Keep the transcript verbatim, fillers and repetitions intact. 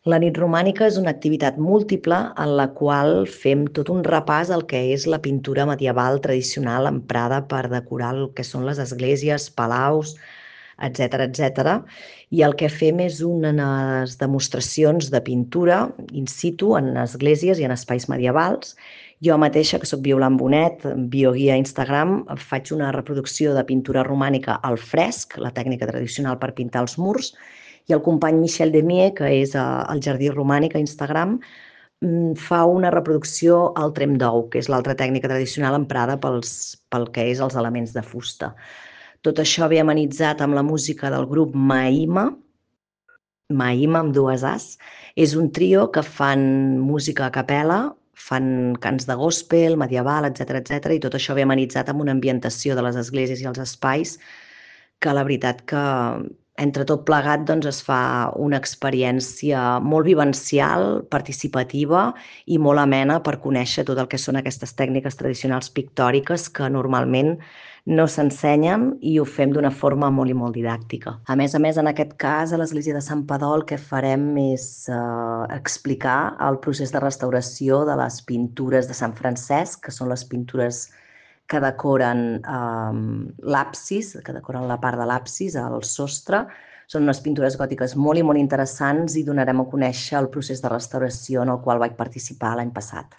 La nit romànica és una activitat múltiple en la qual fem tot un repàs al que és la pintura medieval tradicional emprada per decorar el que són les esglésies, palaus, etcètera, etcètera. I el que fem és unes demostracions de pintura in situ en esglésies i en espais medievals. Jo mateixa, que soc Violant Bonet, bioguia a Instagram, faig una reproducció de pintura romànica al fresc, la tècnica tradicional per pintar els murs, i el company Michel Demier, que és al Jardí Romànic a Instagram, fa una reproducció al trem d'ou, que és l'altra tècnica tradicional emprada pels, pel que és els elements de fusta. Tot això ve amenitzat amb la música del grup Maïma, Maïma amb dues As. És un trio que fan música a capella, fan cants de gospel, medieval, etcètera, etcètera, i tot això ve amenitzat amb una ambientació de les esglésies i els espais que la veritat que entre tot plegat doncs, es fa una experiència molt vivencial, participativa i molt amena per conèixer tot el que són aquestes tècniques tradicionals pictòriques que normalment no s'ensenyen i ho fem d'una forma molt i molt didàctica. A més a més, en aquest cas, a l'església de Sant Padó el que farem és eh, explicar el procés de restauració de les pintures de Sant Francesc, que són les pintures que decoren eh, l'absis, que decoren la part de l'absis, el sostre. Són unes pintures gòtiques molt i molt interessants i donarem a conèixer el procés de restauració en el qual vaig participar l'any passat.